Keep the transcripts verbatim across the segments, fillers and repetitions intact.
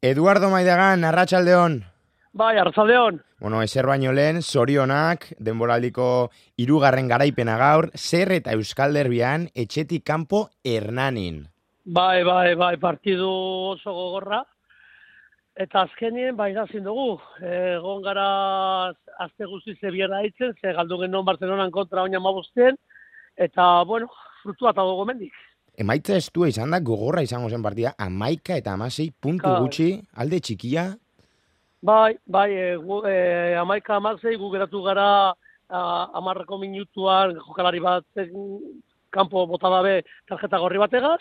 Eduardo Maidagan, arratsaldeon. Bai, arratsaldeon. Bueno, ezer baino lehen, zorionak, denboraldiko hirugarren garaipena gaur, zer eta Euskal Derbian etxetik kanpo Hernanin. Bai, bai, bai, partidu oso gogorra. Eta azkenien, bai, nazin dugu. Egon gara azte guztiz ebiera haitzen, ze galdu genuen Barcelonan kontra oina mabuzten, eta, bueno, frutua eta dugu mendik. Emaitza estua izan da, gogorra izango zen partida, amaika eta amasei puntu Ka... gutxi, alde txikia. Bai, bai, e, gu, e, amaika amasei gu geratu gara amarreko minutuan jokalari bat kanpo bota dabe tarjeta gorri bategaz,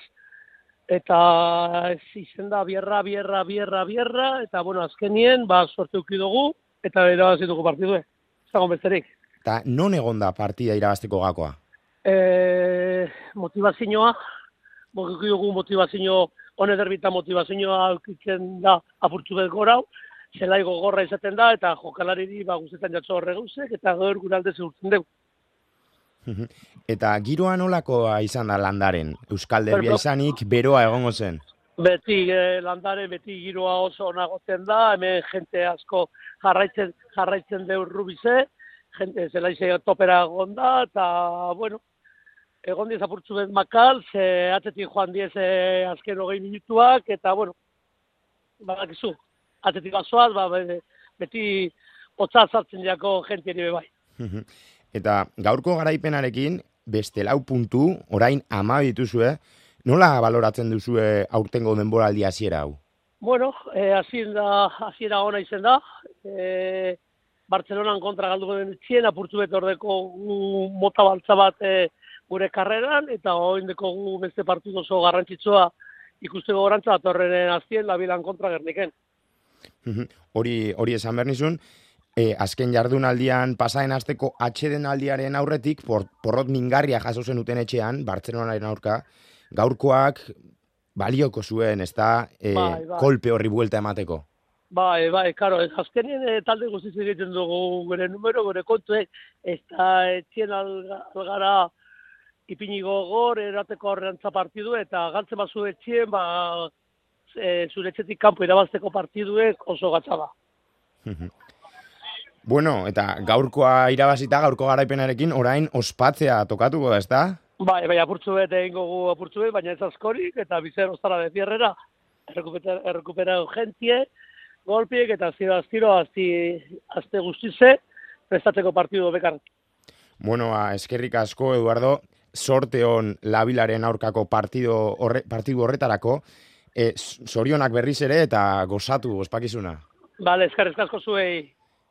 eta ez izen da bierra, bierra, bierra, bierra, eta bueno, azkenien, ba, sorte uki dugu, eta irabazi dugu partidue. Zagon besterik. Eta non egon da partida irabazteko gakoa? E, motivazioa, bokuki dugu motivazio, hone derbita motivazioa aukitzen da apurtu bet gorau, zelai gogorra izaten da, eta jokalariri ba, guztetan jatzo horre gauzek, eta gaur gure alde zehurtzen dugu. Eta giroa nolakoa izan da Landaren? Euskal Derbia izanik, beroa egongo zen? Beti eh, Landare, beti giroa oso nagotzen da, hemen jente asko jarraitzen, jarraitzen deu rubize, jente zelaize topera egon da, eta, bueno, egon diez apurtzu bet makal, ze atzetik joan diez eh, azken hogei minutuak, eta, bueno, badakizu, atzetik bazoaz, ba, beti hotza zartzen jako jentieri bebai. Eta gaurko garaipenarekin, beste lau puntu, orain ama dituzue, nola baloratzen duzue aurtengo denboraldi hasiera hau? Bueno, eh, hasiera hasiera ona izen da, eh, Barcelonan kontra galduko den txien, apurtu bet ordeko mota baltza bat eh, gure karreran, eta oindeko gu beste partidu oso garrantzitsua ikusteko gorantza, atorrenen azien, labilan kontra gerniken. Hori hori esan behar nizun, e, azken jardunaldian pasaden asteko atsedenaldiaren aurretik, por, porrot mingarria jaso zenuten etxean, Bartzelonaren aurka, gaurkoak balioko zuen, ez da, e, bai, bai. kolpe horri buelta emateko. Bai, bai, karo, azkenien e, talde guztiz egiten dugu gure numero, gure kontuek, ez da etxien alga, algara ipini gogor, erateko horrentza partidu, eta galtzen bazu etxien, ba, e, zure etxetik kanpo irabazteko partiduek oso gatza da. Bueno, eta gaurkoa irabazita, gaurko garaipenarekin, orain ospatzea tokatuko da, ez da? Bai, bai, apurtzu bet egingo gu apurtzu bet, baina ez askorik, eta bizer ostara de fierrera, errekupera gentie, golpiek, eta ziro aztiro, azti, azte guztize, prestatzeko partidu bekar. Bueno, a, eskerrik asko, Eduardo, sorte hon labilaren aurkako partido horre, partidu horretarako, e, zorionak berriz ere, eta gozatu, ospakizuna. Bale, eskerrik asko zuei.